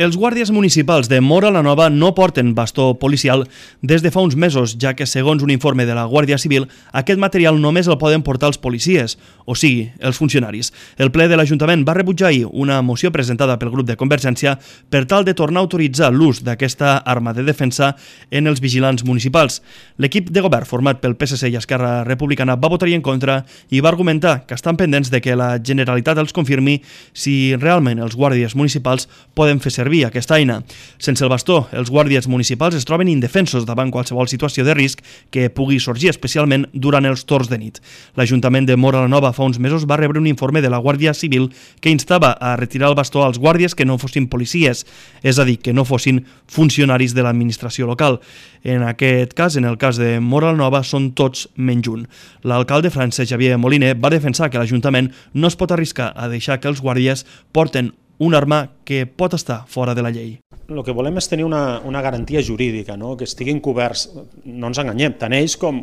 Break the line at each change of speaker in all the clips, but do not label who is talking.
Els guàrdies municipals de Móra la Nova no porten bastó policial des de fa uns mesos, ja que, segons un informe de la Guàrdia Civil, aquest material només el poden portar els policies, o sigui, els funcionaris. El ple de l'Ajuntament va rebutjar ahir una moció presentada pel grup de Convergència per tal de tornar a autoritzar l'ús d'aquesta arma de defensa en els vigilants municipals. L'equip de govern, format pel PSC i Esquerra Republicana, va votar-hi en contra i va argumentar que estan pendents de que la Generalitat els confirmi si realment els guàrdies municipals poden fer servir aquesta eina. Sense el bastó, els guàrdies municipals es troben indefensos davant qualsevol situació de risc que pugui sorgir, especialment durant els torns de nit. L'Ajuntament de Móra la Nova fa uns mesos va rebre un informe de la Guàrdia Civil que instava a retirar el bastó als guàrdies que no fossin policies, és a dir, que no fossin funcionaris de l'administració local. En aquest cas, en el cas de Móra la Nova, són tots menys un. L'alcalde Francesc Xavier Moliner va defensar que l'Ajuntament no es pot arriscar a deixar que els guàrdies porten una arma que pot estar fora de la llei.
El que volem és tenir una garantia jurídica, no? Que estiguin coberts, no ens enganyem, tant ells com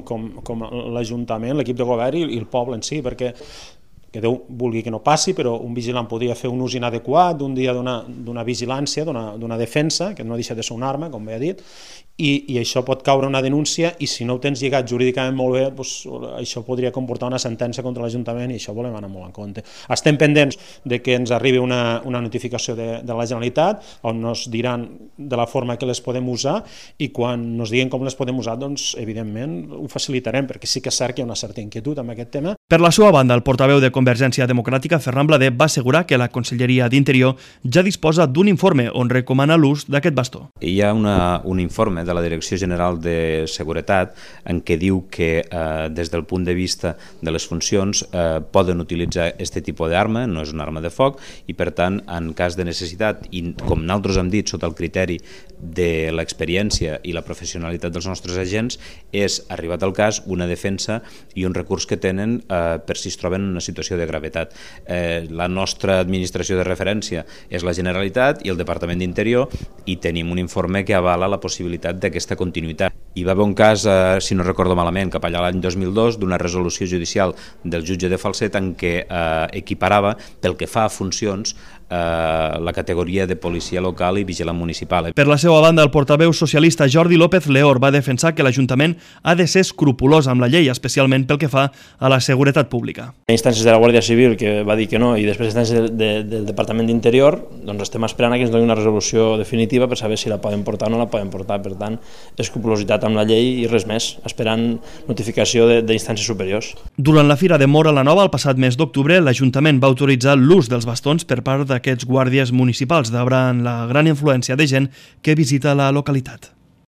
l'Ajuntament, l'equip de govern i el poble en si, perquè que Déu vulgui que no passi, però un vigilant podria fer un ús inadequat d'un dia d'una vigilància, d'una defensa, que no deixa de ser una arma, com bé he dit, i això pot caure una denúncia i si no ho tens lligat jurídicament molt bé, doncs, això podria comportar una sentència contra l'Ajuntament i això volem anar molt en compte. Estem pendents de que ens arribi una notificació de la Generalitat on ens diran de la forma que les podem usar i quan ens diguin com les podem usar, doncs evidentment ho facilitarem, perquè sí que és cert que hi ha una certa inquietud amb aquest tema.
Per la seva banda, el portaveu de Convergència Democràtica, Ferran Blader, va assegurar que la Conselleria d'Interior ja disposa d'un informe on recomana l'ús d'aquest bastó.
Hi ha un informe de la Direcció General de Seguretat en què diu que des del punt de vista de les funcions poden utilitzar aquest tipus d'arma, no és una arma de foc, i per tant, en cas de necessitat, i com nosaltres hem dit, sota el criteri de l'experiència i la professionalitat dels nostres agents, és, arribat al cas, una defensa i un recurs que tenen per si es troben en una situació de gravetat. La nostra administració de referència és la Generalitat i el Departament d'Interior i tenim un informe que avala la possibilitat d'aquesta continuïtat. Hi va haver un cas, si no recordo malament, cap allà l'any 2002, d'una resolució judicial del jutge de Falset en què equiparava, pel que fa a funcions, la categoria de policia local i vigilant municipal.
Per la seva banda, el portaveu socialista Jordi López Leor va defensar que l'Ajuntament ha de ser escrupolós amb la llei, especialment pel que fa a la seguretat pública.
Hi ha instàncies de la Guàrdia Civil que va dir que no i després instàncies del Departament d'Interior, doncs estem esperant que ens doni una resolució definitiva per saber si la poden portar o no la poden portar. Per tant, escrupolositat amb la llei i res més, esperant notificació d'instàncies superiors.
Durant la Fira de Móra la Nova, el passat mes d'octubre, l'Ajuntament va autoritzar l'ús dels bastons per part d'aquests guàrdies municipals davant la gran influència de gent que visita la localitat.